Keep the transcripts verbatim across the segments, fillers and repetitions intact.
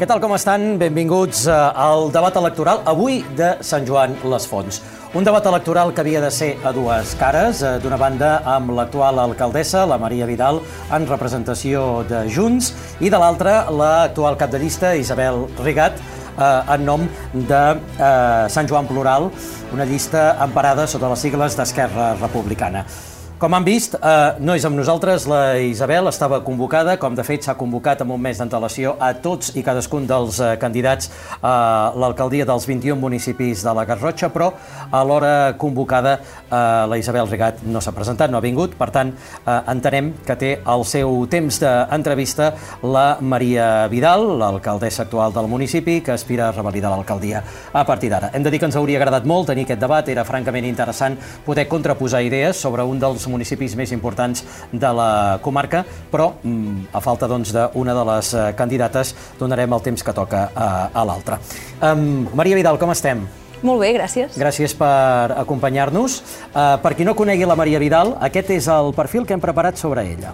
tal, com estan? Benvinguts al debat electoral, avui de Sant Joan les Fonts. Un debat electoral que havia de ser a dues cares, d'una banda amb l'actual alcaldessa, la Maria Vidal, en representació de Junts, i de l'altra l'actual cap de llista, Isabel Rigat, en nom de Sant Joan Plural, una llista emparada sota les sigles d'Esquerra Republicana. Com han vist, no és amb nosaltres, la Isabel estava convocada, com de fet s'ha convocat amb un mes d'antelació a tots i cadascun dels candidats a l'alcaldia dels vint-i-un municipis de la Garrotxa, però a l'hora convocada la Isabel Rigat no s'ha presentat, no ha vingut, per tant entenem que té el seu temps d'entrevista la Maria Vidal, l'alcaldessa actual del municipi, que aspira a revalidar l'alcaldia a partir d'ara. Hem de dir que ens hauria agradat molt tenir aquest debat, era francament interessant poder contraposar idees sobre un dels municipis més importants de la comarca, però a falta doncs, d'una de les candidates donarem el temps que toca a, a l'altra. Um, Maria Vidal, com estem? Molt bé, gràcies. Gràcies per acompanyar-nos. Uh, per qui no conegui la Maria Vidal, aquest és el perfil que hem preparat sobre ella.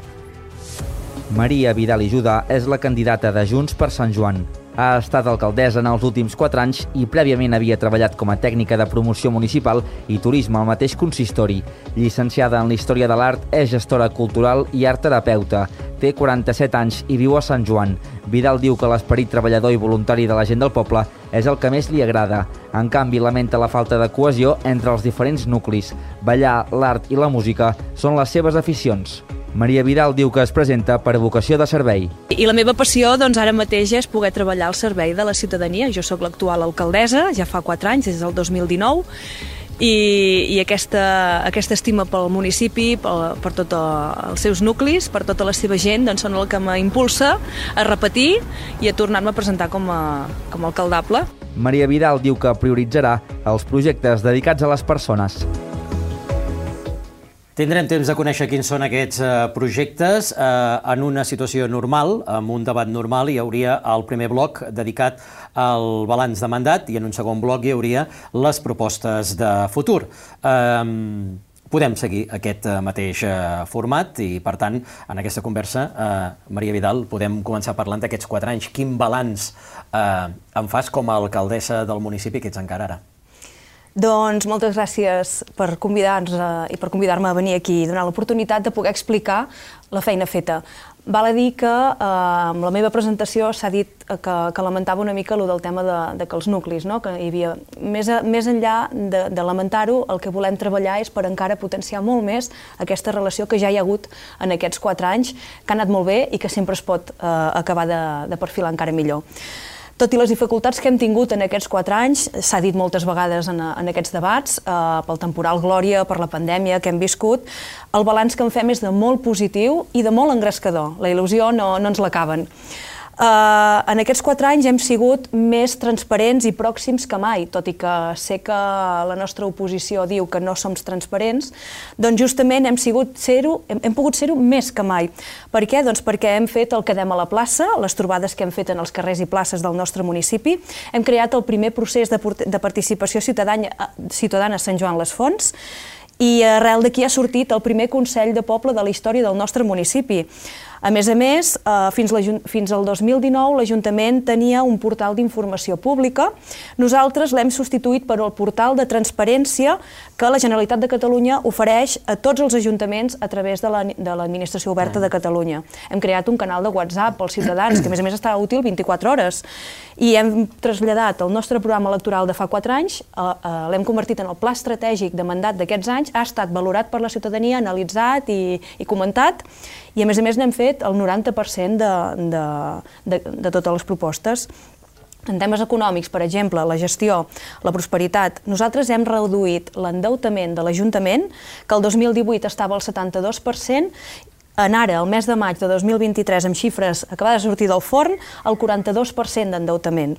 Maria Vidal i Judà és la candidata de Junts per Sant Joan. Ha estat alcaldessa en els últims quatre anys i prèviament havia treballat com a tècnica de promoció municipal i turisme al mateix consistori. Llicenciada en la Història de l'Art, és gestora cultural i art terapeuta. Té quaranta-set anys i viu a Sant Joan. Vidal diu que l'esperit treballador i voluntari de la gent del poble és el que més li agrada. En canvi, lamenta la falta de cohesió entre els diferents nuclis. Ballar, l'art i la música són les seves aficions. Maria Vidal diu que es presenta per vocació de servei. I la meva passió doncs, ara mateix és poder treballar al servei de la ciutadania. Jo sóc l'actual alcaldessa, ja fa quatre anys, des del dos mil dinou, i, i aquesta, aquesta estima pel municipi, per, per tots els seus nuclis, per tota la seva gent, doncs, són el que m'impulsa a repetir i a tornar-me a presentar com a, com a alcaldable. Maria Vidal diu que prioritzarà els projectes dedicats a les persones. Tindrem temps de conèixer quins són aquests projectes. En una situació normal, amb un debat normal, hi hauria el primer bloc dedicat al balanç de mandat i en un segon bloc hi hauria les propostes de futur. Podem seguir aquest mateix format i, per tant, en aquesta conversa, Maria Vidal, podem començar parlant d'aquests quatre anys. Quin balanç en fas com a alcaldessa del municipi que ets encara ara? Doncs moltes gràcies per convidar-nos i per convidar-me a venir aquí i donar l'oportunitat de poder explicar la feina feta. Val a dir que eh, amb la meva presentació s'ha dit que, que lamentava una mica allò del tema de, de que els nuclis, no? Que hi havia, més, a, més enllà de, de lamentar-ho, el que volem treballar és per encara potenciar molt més aquesta relació que ja hi ha hagut en aquests quatre anys, que ha anat molt bé i que sempre es pot eh, acabar de, de perfilar encara millor. Tot i les dificultats que hem tingut en aquests quatre anys, s'ha dit moltes vegades en, en aquests debats, eh, pel temporal Glòria, per la pandèmia que hem viscut, el balanç que en fem és de molt positiu i de molt engrescador. La il·lusió no, no ens l'acaben. Uh, en aquests quatre anys hem sigut més transparents i pròxims que mai, tot i que sé que la nostra oposició diu que no som transparents, doncs justament hem, sigut ser-ho, hem, hem pogut ser-ho més que mai. Per què? Doncs perquè hem fet el Quedem a la plaça, les trobades que hem fet en els carrers i places del nostre municipi, hem creat el primer procés de, de participació ciutadana, ciutadana a Sant Joan les Fonts, i arrel d'aquí ha sortit el primer Consell de Poble de la història del nostre municipi. A més a més, fins, la, fins al dos mil dinou l'Ajuntament tenia un portal d'informació pública. Nosaltres l'hem substituït per el portal de transparència que la Generalitat de Catalunya ofereix a tots els ajuntaments a través de l'Administració Oberta de Catalunya. Hem creat un canal de WhatsApp pels ciutadans, que a més a més està útil vint-i-quatre hores. I hem traslladat el nostre programa electoral de fa quatre anys, l'hem convertit en el pla estratègic de mandat d'aquests anys, ha estat valorat per la ciutadania, analitzat i, i comentat, i a més a més n'hem fet el noranta per cent de, de, de, de totes les propostes. En temes econòmics, per exemple, la gestió, la prosperitat, nosaltres hem reduït l'endeutament de l'Ajuntament, que el dos mil divuit estava al setanta-dos per cent, en ara, el mes de maig de dos mil vint-i-tres, amb xifres acabades de sortir del forn, el quaranta-dos per cent d'endeutament.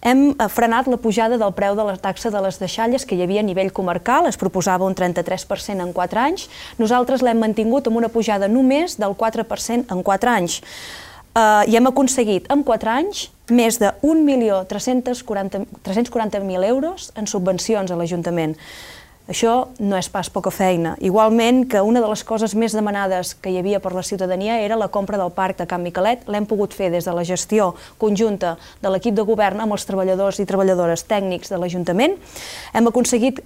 Hem frenat la pujada del preu de la taxa de les deixalles que hi havia a nivell comarcal, es proposava un trenta-tres per cent en quatre anys, nosaltres l'hem mantingut amb una pujada només del quatre per cent en quatre anys. Uh, I hem aconseguit en quatre anys més de un milió tres-cents quaranta mil euros en subvencions a l'Ajuntament. Això no és pas poca feina. Igualment que una de les coses més demanades que hi havia per la ciutadania era la compra del parc de Can Miquelet. L'hem pogut fer des de la gestió conjunta de l'equip de govern amb els treballadors i treballadores tècnics de l'Ajuntament. Hem aconseguit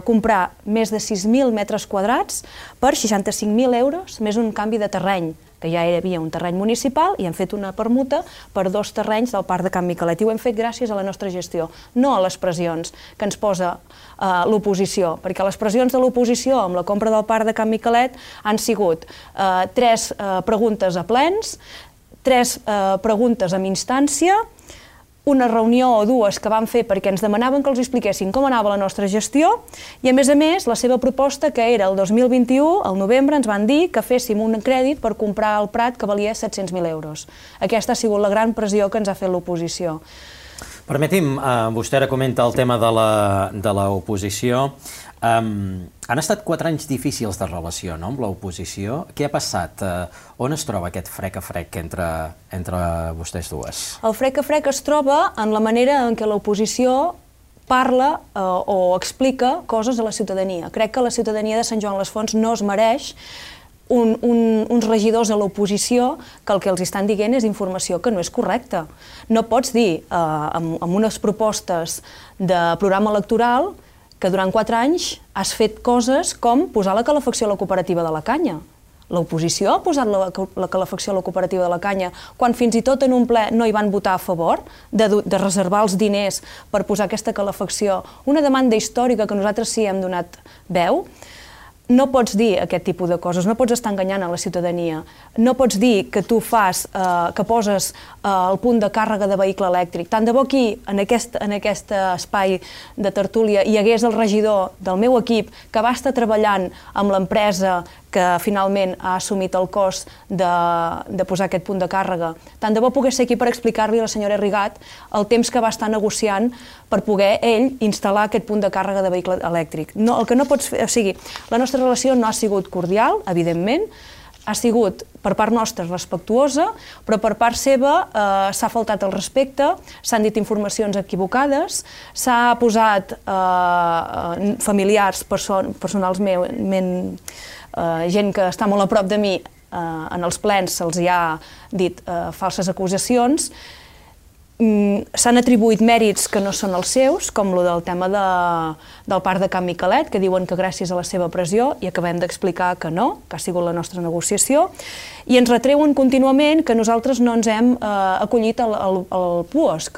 comprar més de sis mil metres quadrats per seixanta-cinc mil euros, més un canvi de terreny, que ja hi havia un terreny municipal i hem fet una permuta per dos terrenys del Parc de Can Miquelet. I ho hem fet gràcies a la nostra gestió, no a les pressions que ens posa eh, l'oposició, perquè les pressions de l'oposició amb la compra del Parc de Can Miquelet han sigut eh, tres eh, preguntes a plens, tres eh, preguntes amb instància, una reunió o dues que vam fer perquè ens demanaven que els expliquessin com anava la nostra gestió i, a més a més, la seva proposta, que era el dos mil vint-i-u, al novembre, ens van dir que féssim un crèdit per comprar el Prat que valia set-cents mil euros. Aquesta ha sigut la gran pressió que ens ha fet l'oposició. Permeti'm, eh, vostè ara comenta el tema de l'oposició. Um, han estat quatre anys difícils de relació, no?, amb l'oposició. Què ha passat? Uh, on es troba aquest frec a frec entre, entre vostès dues? El frec a frec es troba en la manera en què l'oposició parla eh, o explica coses a la ciutadania. Crec que la ciutadania de Sant Joan les Fonts no es mereix un, un, uns regidors a l'oposició que el que els estan dient és informació que no és correcta. No pots dir eh, amb, amb unes propostes de programa electoral que durant quatre anys has fet coses com posar la calefacció a la cooperativa de la Canya. L'oposició ha posat la, la calefacció a la cooperativa de la Canya quan fins i tot en un ple no hi van votar a favor de, de reservar els diners per posar aquesta calefacció. Una demanda històrica que nosaltres sí hem donat veu. No pots dir aquest tipus de coses, no pots estar enganyant a la ciutadania. No pots dir que tu fas, eh, que poses eh, el punt de càrrega de vehicle elèctric. Tant de bo aquí, en aquest, en aquest espai de tertúlia, hi hagués el regidor del meu equip que va estar treballant amb l'empresa que finalment ha assumit el cost de, de posar aquest punt de càrrega. Tant de bo pogués ser aquí per explicar-li a la senyora Rigat el temps que va estar negociant per poder ell instal·lar aquest punt de càrrega de vehicle elèctric. No, el que no pots fer, o sigui, la nostra relació no ha sigut cordial, evidentment, ha sigut per part nostra respectuosa, però per part seva eh, s'ha faltat el respecte, s'han dit informacions equivocades, s'ha posat eh, familiars, person, personals meu, men, eh, gent que està molt a prop de mi, eh, en els plens se'ls hi ha dit eh, falses acusacions. S'han atribuït mèrits que no són els seus, com el del tema de, del Parc de Can Miquelet, que diuen que gràcies a la seva pressió, i acabem d'explicar que no, que ha sigut la nostra negociació, i ens retreuen contínuament que nosaltres no ens hem eh, acollit al, al, al PUOSC,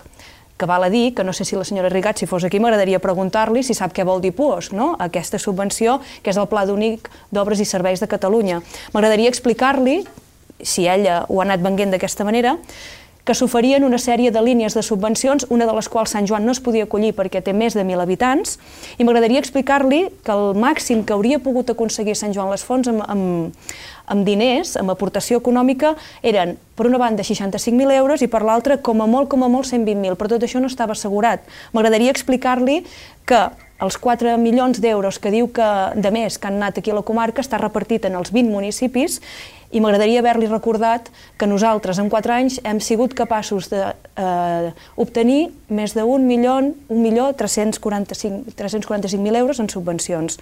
que val a dir que no sé si la senyora Rigat, si fos aquí, m'agradaria preguntar-li si sap què vol dir PUOSC, no? Aquesta subvenció, que és el Pla Únic d'Obres i Serveis de Catalunya. M'agradaria explicar-li, si ella ho ha anat venguent d'aquesta manera, que s'oferien una sèrie de línies de subvencions, una de les quals Sant Joan no es podia acollir perquè té més de mil habitants, i m'agradaria explicar-li que el màxim que hauria pogut aconseguir Sant Joan les Fonts amb, amb, amb diners, amb aportació econòmica, eren, per una banda, seixanta-cinc mil euros i per l'altra, com a molt, com a molt, cent vint mil, però tot això no estava assegurat. M'agradaria explicar-li que els quatre milions d'euros que diu que de més que han anat aquí a la comarca està repartit en els vint municipis i m'agradaria haver-li recordat que nosaltres en quatre anys hem sigut capaços d'obtenir eh, més d'un milió, un milió tres-cents quaranta-cinc mil euros en subvencions.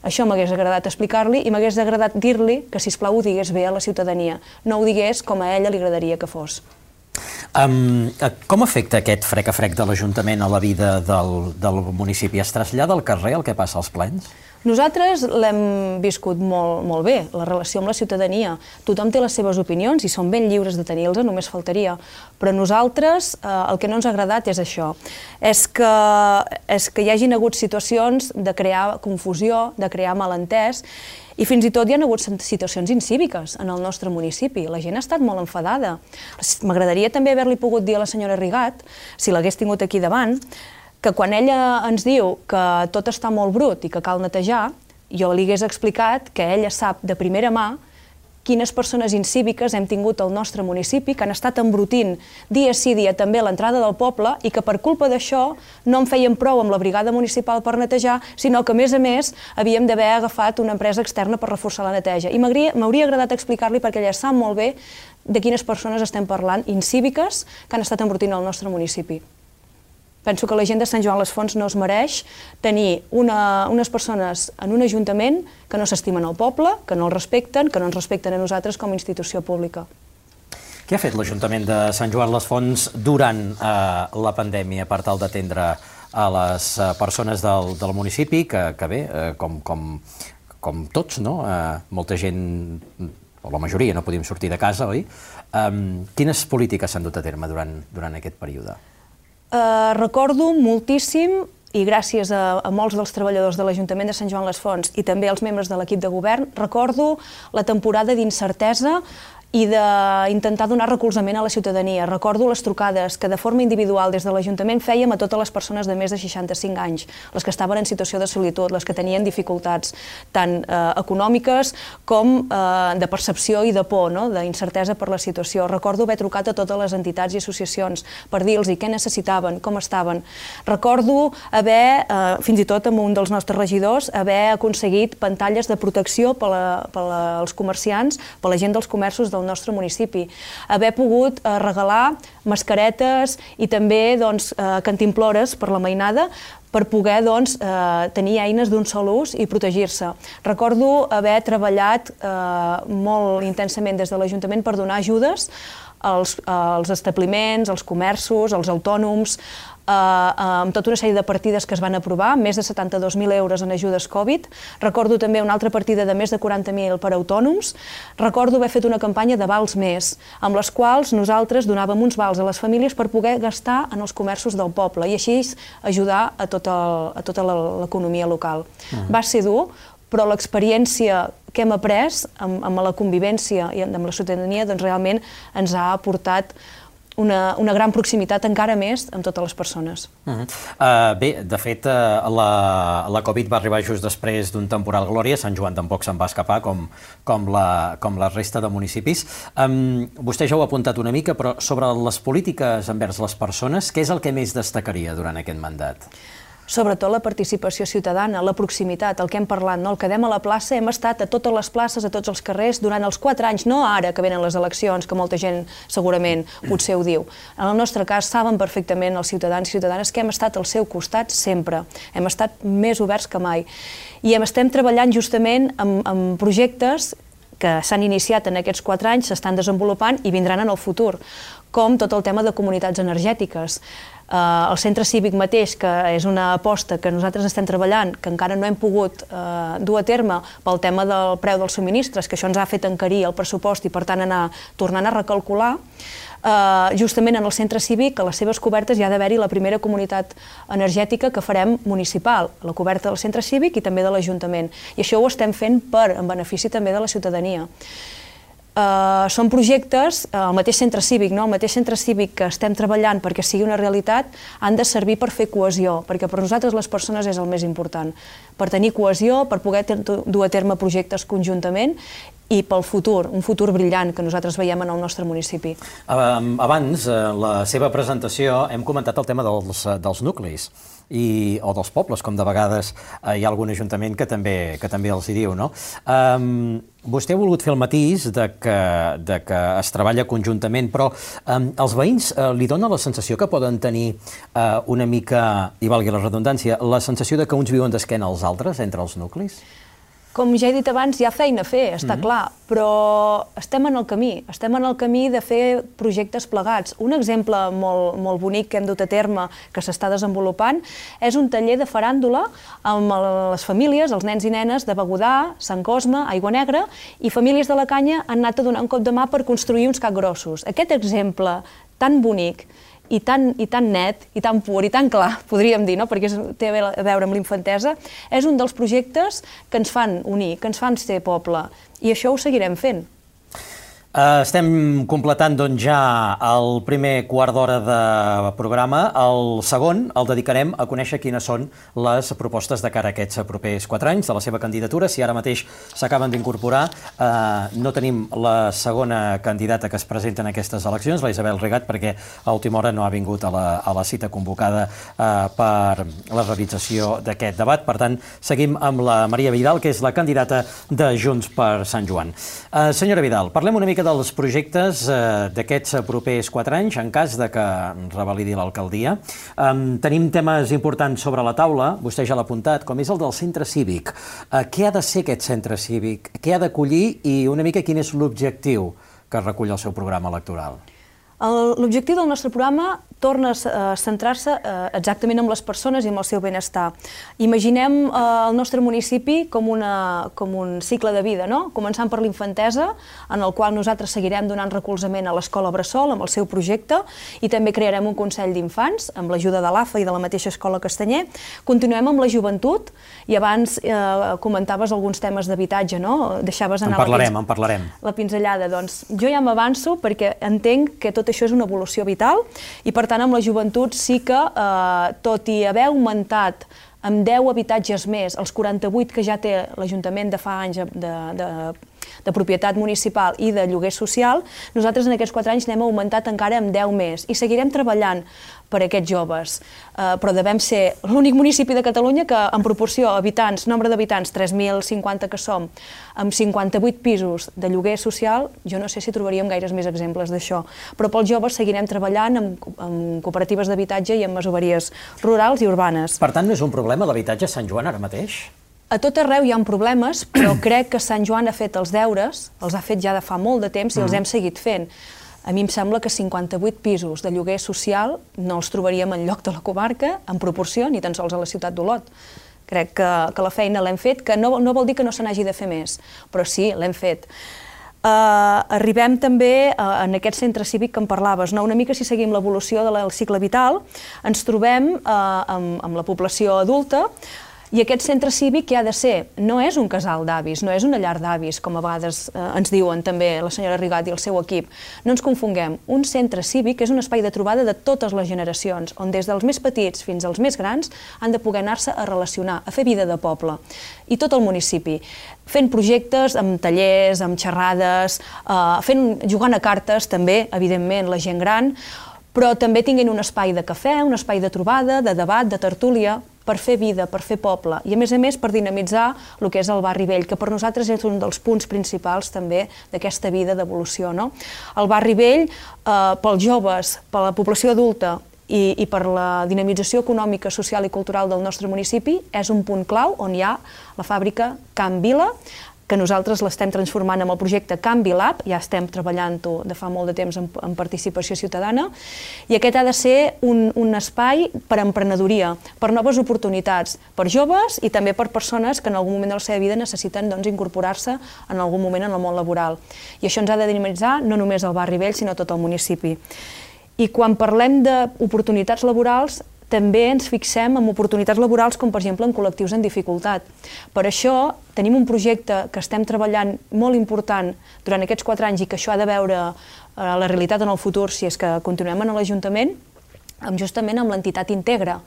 Això m'hagués agradat explicar-li i m'hagués agradat dir-li que, sisplau, ho digués bé a la ciutadania, no ho digués com a ella li agradaria que fos. Um, com afecta aquest frec a frec de l'Ajuntament a la vida del, del municipi? Es trasllada al carrer el que passa als plens? Nosaltres l'hem viscut molt, molt bé, la relació amb la ciutadania. Tothom té les seves opinions i són ben lliures de tenir-les, només faltaria. Però nosaltres eh, el que no ens ha agradat és això, és que, és que hi hagin hagut situacions de crear confusió, de crear malentès, i fins i tot hi ha hagut situacions incíviques en el nostre municipi. La gent ha estat molt enfadada. M'agradaria també haver-li pogut dir a la senyora Rigat, si l'hagués tingut aquí davant, que quan ella ens diu que tot està molt brut i que cal netejar, jo li hagués explicat que ella sap de primera mà quines persones incíviques hem tingut al nostre municipi, que han estat embrutint dia sí dia també a l'entrada del poble i que per culpa d'això no en feien prou amb la brigada municipal per netejar, sinó que a més a més havíem d'haver agafat una empresa externa per reforçar la neteja. I m'hauria agradat explicar-li perquè ella sap molt bé de quines persones estem parlant, incíviques, que han estat embrutint al nostre municipi. Penso que la gent de Sant Joan les Fonts no es mereix tenir una, unes persones en un ajuntament que no s'estimen al poble, que no el respecten, que no ens respecten a nosaltres com a institució pública. Què ha fet l'Ajuntament de Sant Joan les Fonts durant eh, la pandèmia per tal d'atendre a les eh, persones del, del municipi, que, que bé, eh, com, com, com tots, no? Eh, molta gent, o la majoria, no podíem sortir de casa, oi? Um, quines polítiques s'han dut a terme durant, durant aquest període? Uh, recordo moltíssim, i gràcies a, a molts dels treballadors de l'Ajuntament de Sant Joan les Fonts i també als membres de l'equip de govern, recordo la temporada d'incertesa i d'intentar donar recolzament a la ciutadania. Recordo les trucades que de forma individual des de l'Ajuntament fèiem a totes les persones de més de seixanta-cinc anys, les que estaven en situació de solitud, les que tenien dificultats tant eh, econòmiques com eh, de percepció i de por, no? D'incertesa per la situació. Recordo haver trucat a totes les entitats i associacions per dir-los què necessitaven, com estaven. Recordo haver, eh, fins i tot amb un dels nostres regidors, haver aconseguit pantalles de protecció per, la, per la, als comerciants, per la gent dels comerços del nostre municipi, haver pogut eh, regalar mascaretes i també doncs, eh, cantimplores per la mainada per poder doncs, eh, tenir eines d'un sol ús i protegir-se. Recordo haver treballat eh, molt intensament des de l'Ajuntament per donar ajudes als, als establiments, als comerços, als autònoms, eh, amb tota una sèrie de partides que es van aprovar, més de setanta-dos mil euros en ajudes Covid. Recordo també una altra partida de més de quaranta mil per a autònoms. Recordo haver fet una campanya de vals més, amb les quals nosaltres donàvem uns vals a les famílies per poder gastar en els comerços del poble i així ajudar a tota, a tota l'economia local. Uh-huh. Va ser dur, però l'experiència que hem après amb, amb la convivència i amb la ciutadania doncs realment ens ha aportat una, una gran proximitat encara més amb totes les persones. Uh-huh. uh, bé, de fet, uh, la, la Covid va arribar just després d'un temporal Glòria, Sant Joan tampoc se'n va escapar com, com, la, com la resta de municipis. Um, vostè ja ho ha apuntat una mica, però sobre les polítiques envers les persones, què és el que més destacaria durant aquest mandat? Sobretot la participació ciutadana, la proximitat, el que hem parlat, no? El quedem a la plaça, hem estat a totes les places, a tots els carrers, durant els quatre anys, no ara que venen les eleccions, que molta gent segurament potser ho diu. En el nostre cas, saben perfectament els ciutadans i ciutadanes que hem estat al seu costat sempre, hem estat més oberts que mai. I estem treballant justament amb, amb projectes que s'han iniciat en aquests quatre anys, s'estan desenvolupant i vindran en el futur, com tot el tema de comunitats energètiques. Uh, el centre cívic mateix, que és una aposta que nosaltres estem treballant, que encara no hem pogut uh, dur a terme pel tema del preu dels subministres, que això ens ha fet encarir el pressupost i per tant anar tornant a recalcular, uh, justament en el centre cívic, a les seves cobertes hi ha d'haver-hi la primera comunitat energètica que farem municipal, la coberta del centre cívic i també de l'Ajuntament. I això ho estem fent per, en benefici també de la ciutadania. Uh, són projectes, uh, el mateix centre cívic, no? El mateix centre cívic que estem treballant perquè sigui una realitat, han de servir per fer cohesió, perquè per nosaltres les persones és el més important, per tenir cohesió, per poder dur a terme projectes conjuntament i pel futur, un futur brillant que nosaltres veiem en el nostre municipi. Abans, en la seva presentació, hem comentat el tema dels, dels nuclis. I, o dels pobles, com de vegades eh, hi ha algun ajuntament que també, que també els hi diu, no? Um, vostè ha volgut fer el matís de que, de que es treballa conjuntament, però um, els veïns eh, li dona la sensació que poden tenir eh, una mica, i valgui la redundància, la sensació de que uns viuen d'esquena als altres entre els nuclis? Com ja he dit abans, hi ha feina a fer, està mm-hmm. clar, però estem en el camí, estem en el camí de fer projectes plegats. Un exemple molt, molt bonic que hem dut a terme, que s'està desenvolupant, és un taller de faràndula amb les famílies, els nens i nenes de Begudà, Sant Cosme, Aigua Negra, i famílies de la Canya han anat a donar un cop de mà per construir uns capgrossos. Aquest exemple tan bonic i tan, i tan net, i tan pur, i tan clar, podríem dir, no? Perquè té a veure amb l'infantesa, és un dels projectes que ens fan unir, que ens fan ser poble, i això ho seguirem fent. Uh, estem completant doncs, ja el primer quart d'hora de programa. El segon el dedicarem a conèixer quines són les propostes de cara a aquests propers quatre anys de la seva candidatura. Si ara mateix s'acaben d'incorporar, uh, no tenim la segona candidata que es presenta en aquestes eleccions, la Isabel Regat, perquè a última hora no ha vingut a la, a la cita convocada uh, per la realització d'aquest debat. Per tant, seguim amb la Maria Vidal, que és la candidata de Junts per Sant Joan. Uh, senyora Vidal, parlem una mica mica dels projectes d'aquests propers quatre anys, en cas de que revalidi l'alcaldia. Tenim temes importants sobre la taula, vostè ja l'ha apuntat, com és el del centre cívic. Què ha de ser aquest centre cívic? Què ha d'acollir i una mica quin és l'objectiu que recull el seu programa electoral? L'objectiu del nostre programa torna a centrar-se exactament en les persones i en el seu benestar. Imaginem el nostre municipi com un cicle de vida, començant per l'infantesa, en el qual nosaltres seguirem donant recolzament a l'escola Bressol amb el seu projecte, i també crearem un Consell d'Infants amb l'ajuda de l'A F A i de la mateixa Escola Castanyer. Continuem amb la joventut, i abans comentaves alguns temes d'habitatge, no? Deixaves anar en parlarem. la pinzellada. Doncs jo ja m'avanço perquè entenc que tot això és una evolució vital, i per tant amb la joventut sí que, tot i haver augmentat amb deu habitatges més, els quaranta-vuit que ja té l'Ajuntament de fa anys de propietat municipal i de lloguer social, nosaltres en aquests quatre anys n'hem augmentat encara amb deu més, i seguirem treballant per a aquests joves. Però devem ser l'únic municipi de Catalunya que, en proporció a habitants, nombre d'habitants, tres mil cinquanta que som, amb cinquanta-vuit pisos de lloguer social, jo no sé si trobaríem gaires més exemples d'això. Però pels joves seguirem treballant en cooperatives d'habitatge i en masoveries rurals i urbanes. Per tant, no és un problema l'habitatge a Sant Joan ara mateix? A tot arreu hi ha problemes, però crec que Sant Joan ha fet els deures, els ha fet ja de fa molt de temps i els hem seguit fent. A mi em sembla que cinquanta-vuit pisos de lloguer social no els trobaríem enlloc de la comarca, en proporció, ni tan sols a la ciutat d'Olot. Crec que la feina l'hem fet, que no vol dir que no se n'hagi de fer més, però sí, l'hem fet. Arribem també en aquest centre cívic que em parlaves, una mica si seguim l'evolució del cicle vital, ens trobem amb la població adulta. I aquest centre cívic què ha de ser? No és un casal d'avis, no és una llar d'avis, com a vegades ens diuen també la senyora Rigat i el seu equip. No ens confonguem. Un centre cívic és un espai de trobada de totes les generacions, on des dels més petits fins als més grans han de poder anar-se a relacionar, a fer vida de poble. I tot el municipi, fent projectes amb tallers, amb xerrades, jugant a cartes també, evidentment, la gent gran, però també tinguin un espai de cafè, un espai de trobada, de debat, de tertúlia, per fer vida, per fer poble, i a més a més per dinamitzar el que és el barri vell, que per nosaltres és un dels punts principals també d'aquesta vida d'evolució. El barri vell, pels joves, per la població adulta i per la dinamització econòmica, social i cultural del nostre municipi, és un punt clau on hi ha la fàbrica Can Vila, que nosaltres l'estem transformant en el projecte Canvi Lab, ja estem treballant-ho de fa molt de temps en participació ciutadana, i aquest ha de ser un espai per a emprenedoria, per noves oportunitats, per joves i també per persones que en algun moment de la seva vida necessiten incorporar-se en algun moment en el món laboral. I això ens ha de dinamitzar no només el barri vell, sinó tot el municipi. I quan parlem d'oportunitats laborals, també ens fixem en oportunitats laborals com, per exemple, en col·lectius en dificultat. Per això tenim un projecte que estem treballant molt important durant aquests quatre anys i que això ha de veure la realitat en el futur si és que continuem en l'Ajuntament, justament amb l'entitat Integra,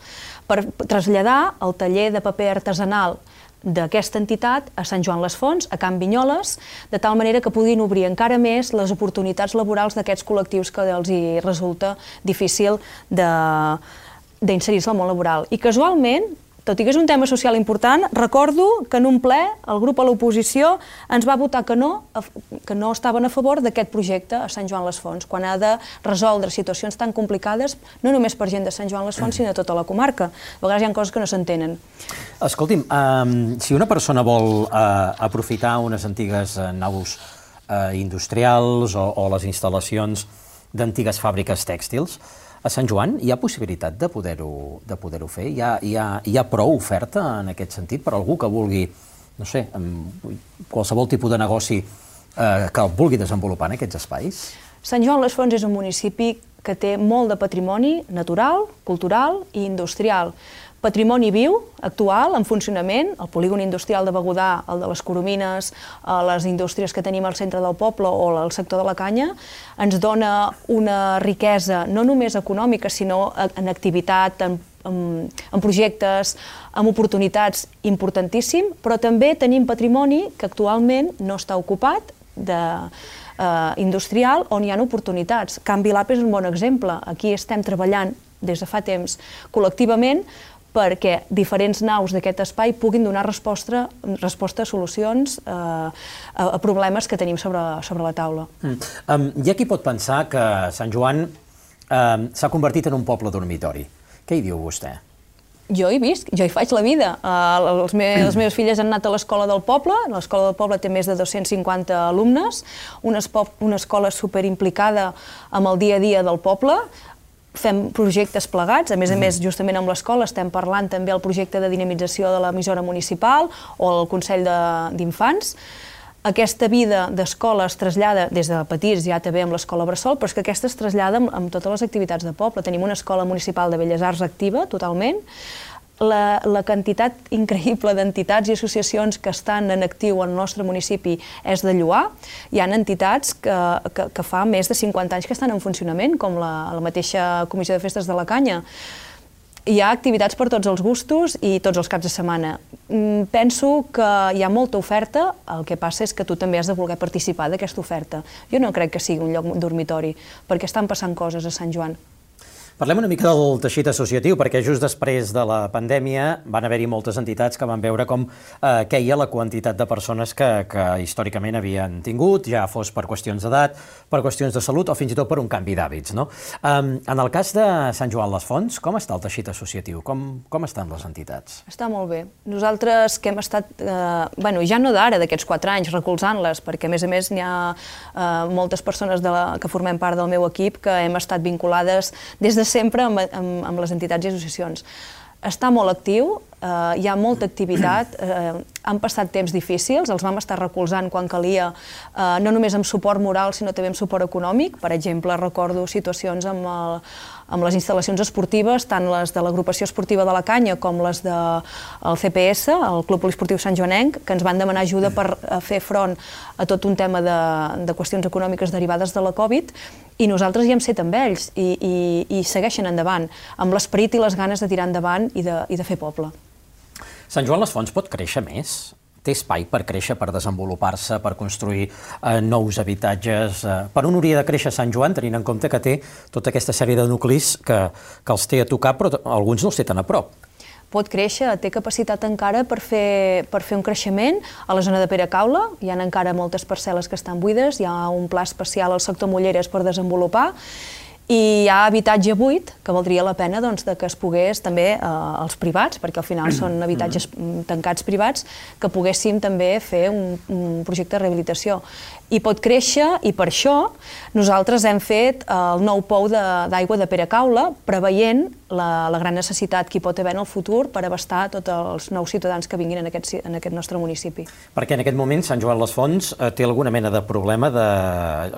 per traslladar el taller de paper artesanal d'aquesta entitat a Sant Joan les Fonts, a Can Vinyoles, de tal manera que puguin obrir encara més les oportunitats laborals d'aquests col·lectius que els hi resulta difícil de d'inserir-se al món laboral. I casualment, tot i que és un tema social important, recordo que en un ple el grup a l'oposició ens va votar que no, que no estaven a favor d'aquest projecte a Sant Joan les Fonts, quan ha de resoldre situacions tan complicades, no només per gent de Sant Joan les Fonts, sinó de tota la comarca. A vegades hi ha coses que no s'entenen. Escolti'm, si una persona vol aprofitar unes antigues naus industrials o les instal·lacions d'antigues fàbriques tèxtils, a Sant Joan hi ha possibilitat de poder-ho fer? Hi ha prou oferta en aquest sentit per algú que vulgui, no sé, qualsevol tipus de negoci que el vulgui desenvolupar en aquests espais? Sant Joan les Fonts és un municipi que té molt de patrimoni natural, cultural i industrial. Patrimoni viu, actual, en funcionament, el polígon industrial de Begudà, el de les Coromines, les indústries que tenim al centre del poble o el sector de la canya, ens dona una riquesa no només econòmica, sinó en activitat, en projectes, en oportunitats importantíssim, però també tenim patrimoni que actualment no està ocupat, industrial, on hi ha oportunitats. Canvi Lab és un bon exemple. Aquí estem treballant des de fa temps col·lectivament perquè diferents naus d'aquest espai puguin donar resposta, resposta a solucions eh, a, a problemes que tenim sobre, sobre la taula. Mm. Um, hi ha qui pot pensar que Sant Joan um, s'ha convertit en un poble dormitori. Què hi diu vostè? Jo hi visc, jo hi faig la vida. Uh, els me les meves filles han anat a l'escola del poble, l'escola del poble té més de dos-cents cinquanta alumnes, una, una escola superimplicada amb el dia a dia del poble, fem projectes plegats, a més a més, justament amb l'escola estem parlant també el projecte de dinamització de l'emissora municipal o el Consell d'Infants. Aquesta vida d'escola es trasllada des de petits ja també amb l'escola Bressol, però és que aquesta es trasllada amb, amb totes les activitats de poble. Tenim una escola municipal de Belles Arts activa, totalment. La, la quantitat increïble d'entitats i associacions que estan en actiu al nostre municipi és de lloar. Hi ha entitats que, que, que fa més de cinquanta anys que estan en funcionament, com la, la mateixa Comissió de Festes de la Canya. Hi ha activitats per tots els gustos i tots els caps de setmana. Penso que hi ha molta oferta, el que passa és que tu també has de voler participar d'aquesta oferta. Jo no crec que sigui un lloc dormitori, perquè estan passant coses a Sant Joan. Parlem una mica del teixit associatiu, perquè just després de la pandèmia van haver-hi moltes entitats que van veure com eh, queia la quantitat de persones que, que històricament havien tingut, ja fos per qüestions d'edat, per qüestions de salut o fins i tot per un canvi d'hàbits, no? Um, en el cas de Sant Joan les Fonts, com està el teixit associatiu? Com, com estan les entitats? Està molt bé. Nosaltres que hem estat, eh, bueno, ja no d'ara, d'aquests quatre anys, recolzant-les, perquè a més a més n'hi ha eh, moltes persones de la, que formem part del meu equip que hem estat vinculades des de sempre amb, amb, amb les entitats i associacions. Està molt actiu, eh, hi ha molta activitat, eh, han passat temps difícils, els vam estar recolzant quan calia, eh, no només amb suport moral, sinó també amb suport econòmic. Per exemple, recordo situacions amb, el, amb les instal·lacions esportives, tant les de l'agrupació esportiva de la Canya com les del C P S, el Club Poliesportiu Sant Joanenc, que ens van demanar ajuda per fer front a tot un tema de, de qüestions econòmiques derivades de la Covid, i nosaltres hi hem set amb ells i, i, i segueixen endavant, amb l'esperit i les ganes de tirar endavant i de, i de fer poble. Sant Joan les Fonts pot créixer més? Té espai per créixer, per desenvolupar-se, per construir eh, nous habitatges? Eh, per on hauria de créixer Sant Joan, tenint en compte que té tota aquesta sèrie de nuclis que, que els té a tocar, però alguns no els té tan a prop? Pot créixer, té capacitat encara per fer, per fer un creixement a la zona de Peracaula. Hi ha encara moltes parcel·les que estan buides, hi ha un pla especial al sector Molleres per desenvolupar, i hi ha habitatge buit que valdria la pena doncs, de que es pogués també eh, els privats, perquè al final són habitatges tancats privats, que poguéssim també fer un, un projecte de rehabilitació. I pot créixer, i per això nosaltres hem fet el nou pou d'aigua de, de Peracaula, preveient la, la gran necessitat que hi pot haver en el futur per abastar tots els nous ciutadans que vinguin en aquest, en aquest nostre municipi. Perquè en aquest moment Sant Joan les Fonts eh, té alguna mena de problema de,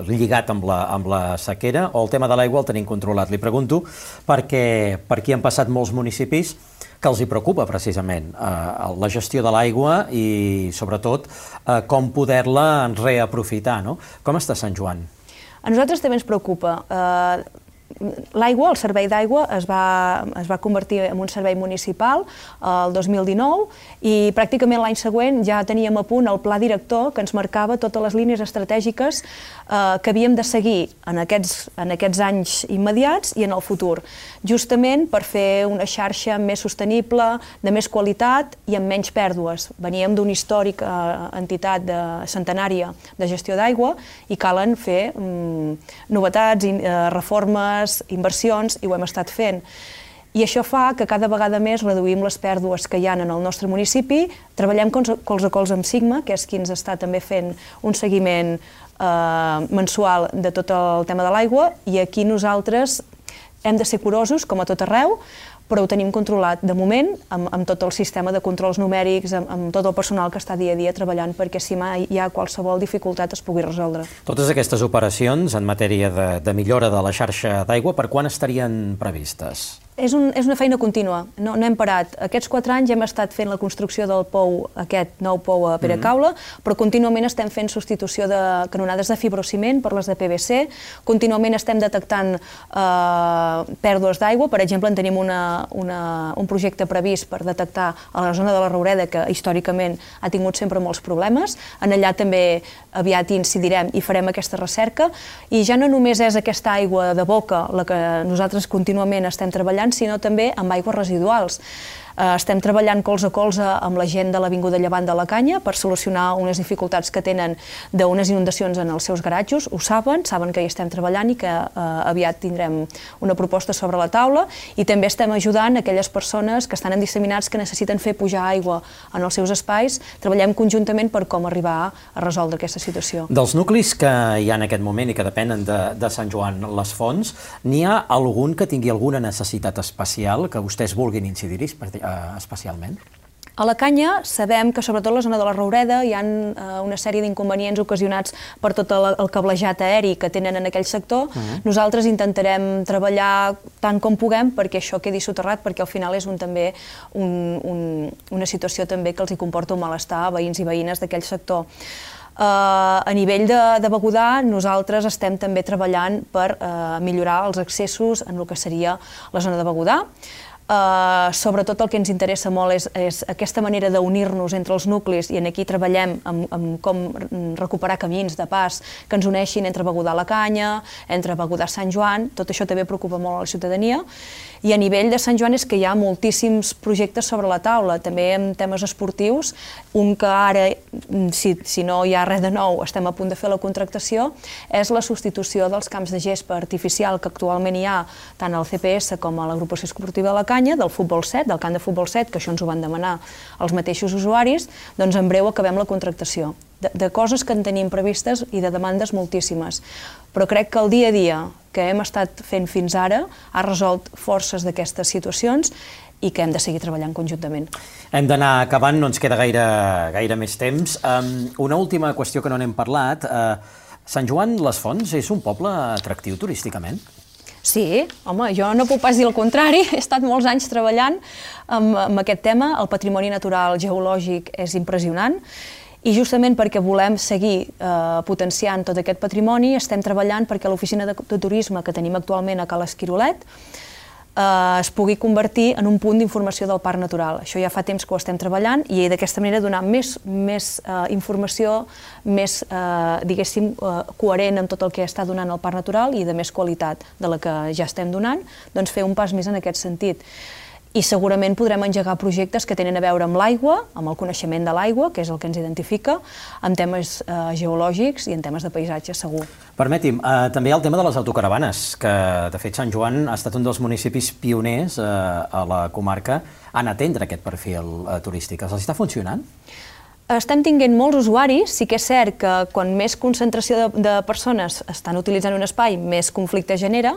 lligat amb la, amb la sequera, o el tema de l'aigua el tenim controlat? Li pregunto perquè per aquí han passat molts municipis que els hi preocupa precisament eh, la gestió de l'aigua i sobretot eh, com poder-la reaprofitar, no? Com està Sant Joan? A nosaltres també ens preocupa. Eh, L'aigua, el servei d'aigua, es va, es va convertir en un servei municipal el dos mil dinou i pràcticament l'any següent ja teníem a punt el pla director que ens marcava totes les línies estratègiques eh, que havíem de seguir en aquests, en aquests anys immediats i en el futur, justament per fer una xarxa més sostenible, de més qualitat i amb menys pèrdues. Veníem d'una històrica entitat de, centenària de gestió d'aigua i calen fer mm, novetats, eh, reformes, inversions, i ho hem estat fent. I això fa que cada vegada més reduïm les pèrdues que hi ha en el nostre municipi. Treballem colze a colze amb Sigma, que és qui ens està també fent un seguiment eh, mensual de tot el tema de l'aigua, i aquí nosaltres hem de ser curosos, com a tot arreu, però ho tenim controlat de moment amb, amb tot el sistema de controls numèrics, amb, amb tot el personal que està dia a dia treballant perquè si mai hi ha qualsevol dificultat es pugui resoldre. Totes aquestes operacions en matèria de, de millora de la xarxa d'aigua, per quan estarien previstes? És, un, és una feina contínua, no, no hem parat. Aquests quatre anys hem estat fent la construcció del pou, aquest nou pou a Peracaula, mm-hmm. però contínuament estem fent substitució de canonades de fibrociment per les de P V C, contínuament estem detectant eh, pèrdues d'aigua. Per exemple, en tenim una, una, un projecte previst per detectar a la zona de la Roureda, que històricament ha tingut sempre molts problemes. En allà també aviat incidirem i farem aquesta recerca, i ja no només és aquesta aigua de boca la que nosaltres contínuament estem treballant, sinó també amb aigües residuals. Estem treballant colze a colze amb la gent de l'Avinguda Llevant de la Canya per solucionar unes dificultats que tenen d'unes inundacions en els seus garatjos. Ho saben, saben que hi estem treballant i que aviat tindrem una proposta sobre la taula, i també estem ajudant aquelles persones que estan en disseminats que necessiten fer pujar aigua en els seus espais. Treballem conjuntament per com arribar a resoldre aquesta situació. Dels nuclis que hi ha en aquest moment i que depenen de, de Sant Joan les Fonts, n'hi ha algun que tingui alguna necessitat especial que vostès vulguin incidir-hi especialment? A la Canya sabem que sobretot a la zona de la Roureda hi ha una sèrie d'inconvenients ocasionats per tot el cablejat aeri que tenen en aquell sector. Uh-huh. Nosaltres intentarem treballar tant com puguem perquè això quedi soterrat, perquè al final és un, també un, un, una situació també que els hi comporta un malestar a veïns i veïnes d'aquell sector. Uh, a nivell de, de Begudà, nosaltres estem també treballant per uh, millorar els accessos en el que seria la zona de Begudà. Uh, sobretot el que ens interessa molt és, és aquesta manera d'unir-nos entre els nuclis, i en aquí treballem amb, amb com recuperar camins de pas que ens uneixin entre Begudà la Canya, entre Begudà Sant Joan. Tot això també preocupa molt a la ciutadania. I a nivell de Sant Joan és que hi ha moltíssims projectes sobre la taula, també en temes esportius. Un que ara, si, si no hi ha res de nou, estem a punt de fer la contractació, és la substitució dels camps de gespa artificial que actualment hi ha tant al C P S com a l'agrupació esportiva de la Canya, del futbol set, del camp de futbol set, que això ens ho van demanar els mateixos usuaris. Doncs en breu acabem la contractació. De, de coses que en tenim previstes i de demandes moltíssimes. Però crec que el dia a dia que hem estat fent fins ara ha resolt forces d'aquestes situacions i que hem de seguir treballant conjuntament. Hem d'anar acabant, no ens queda gaire, gaire més temps. Um, una última qüestió que no n'hem parlat. Uh, Sant Joan les Fonts és un poble atractiu turísticament? Sí, home, jo no puc pas dir el contrari. He estat molts anys treballant amb, amb aquest tema. El patrimoni natural geològic és impressionant. I justament perquè volem seguir eh, potenciant tot aquest patrimoni, estem treballant perquè l'oficina de, de turisme que tenim actualment a Cala Esquirolet eh, es pugui convertir en un punt d'informació del parc natural. Això ja fa temps que ho estem treballant i d'aquesta manera donar més, més eh, informació, més, eh, diguéssim, eh, coherent amb tot el que està donant el parc natural i de més qualitat de la que ja estem donant, doncs fer un pas més en aquest sentit. I segurament podrem engegar projectes que tenen a veure amb l'aigua, amb el coneixement de l'aigua, que és el que ens identifica, amb temes eh, geològics i en temes de paisatge, segur. Permeti'm, eh, també hi ha el tema de les autocaravanes, que de fet Sant Joan ha estat un dels municipis pioners eh, a la comarca en atendre aquest perfil eh, turístic. Els està funcionant? Estem tinguent molts usuaris. Sí que és cert que quan més concentració de, de persones estan utilitzant un espai, més conflicte genera.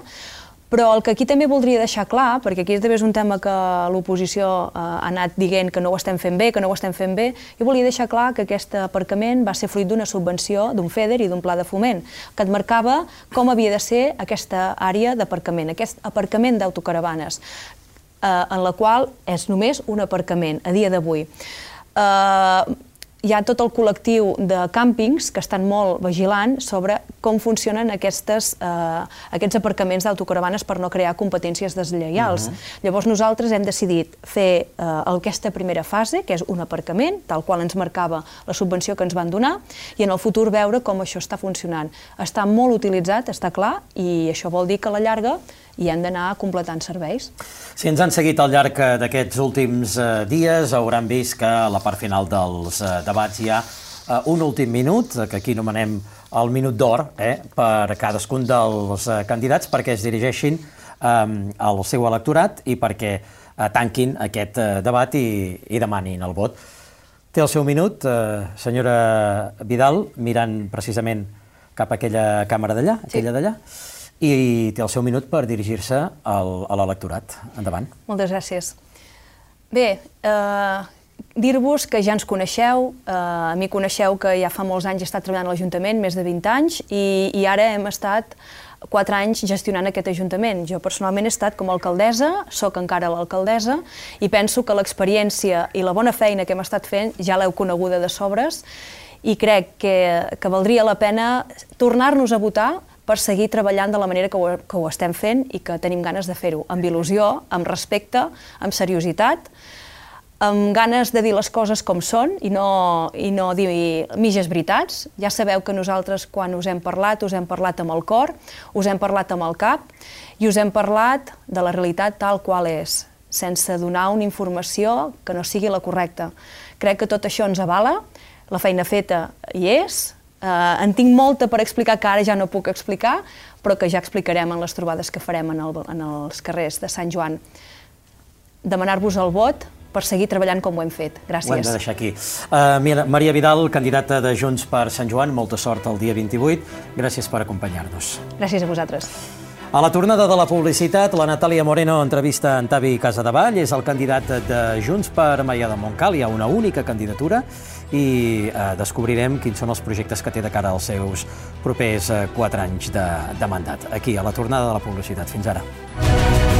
Però el que aquí també voldria deixar clar, perquè aquí també és un tema que l'oposició eh, ha anat dient que no ho estem fent bé, que no ho estem fent bé, jo volia deixar clar que aquest aparcament va ser fruit d'una subvenció, d'un FEDER i d'un pla de foment, que et marcava com havia de ser aquesta àrea d'aparcament, aquest aparcament d'autocaravanes, eh, en la qual és només un aparcament a dia d'avui. Eh, Hi ha tot el col·lectiu de càmpings que estan molt vigilant sobre com funcionen aquestes, eh, aquests aparcaments d'autocaravanes per no crear competències deslleials. Uh-huh. Llavors nosaltres hem decidit fer eh, aquesta primera fase, que és un aparcament, tal qual ens marcava la subvenció que ens van donar, i en el futur veure com això està funcionant. Està molt utilitzat, està clar, i això vol dir que a la llarga i hem d'anar completant serveis. Si ens han seguit al llarg d'aquests últims eh, dies, hauran vist que a la part final dels eh, debats hi ha eh, un últim minut, que aquí anomenem el minut d'or, eh, per cadascun dels eh, candidats, perquè es dirigeixin eh, al seu electorat i perquè eh, tanquin aquest eh, debat i, i demanin el vot. Té el seu minut, eh, senyora Vidal, mirant precisament cap a aquella càmera d'allà, aquella d'allà. I té el seu minut per dirigir-se a l'electorat. Endavant. Moltes gràcies. Bé, eh, dir-vos que ja ens coneixeu, eh, a mi coneixeu que ja fa molts anys he estat treballant a l'Ajuntament, més de vint anys, i, i ara hem estat quatre anys gestionant aquest Ajuntament. Jo personalment he estat com a alcaldessa, soc encara l'alcaldessa, i penso que l'experiència i la bona feina que hem estat fent ja l'heu coneguda de sobres, i crec que, que valdria la pena tornar-nos a votar per seguir treballant de la manera que ho, que ho estem fent i que tenim ganes de fer-ho, amb il·lusió, amb respecte, amb seriositat, amb ganes de dir les coses com són i no, i no dir mitges veritats. Ja sabeu que nosaltres, quan us hem parlat, us hem parlat amb el cor, us hem parlat amb el cap i us hem parlat de la realitat tal qual és. sense donar una informació que no sigui la correcta. Crec que tot això ens avala, la feina feta hi és, eh, en tinc molta per explicar que ara ja no puc explicar, però que ja explicarem en les trobades que farem en, el, en els carrers de Sant Joan. Demanar-vos el vot per seguir treballant com ho hem fet. Gràcies. Ho hem de deixar aquí. Uh, Maria Vidal, candidata de Junts per Sant Joan, molta sort el dia vint-i-vuit. Gràcies per acompanyar-nos. Gràcies a vosaltres. A la tornada de la publicitat, la Natàlia Moreno entrevista en Tavi Casadevall, és el candidat de Junts per Maià de Montcal, hi ha una única candidatura i eh, descobrirem quins són els projectes que té de cara als seus propers eh, quatre anys de, de mandat. Aquí, a la tornada de la publicitat. Fins ara.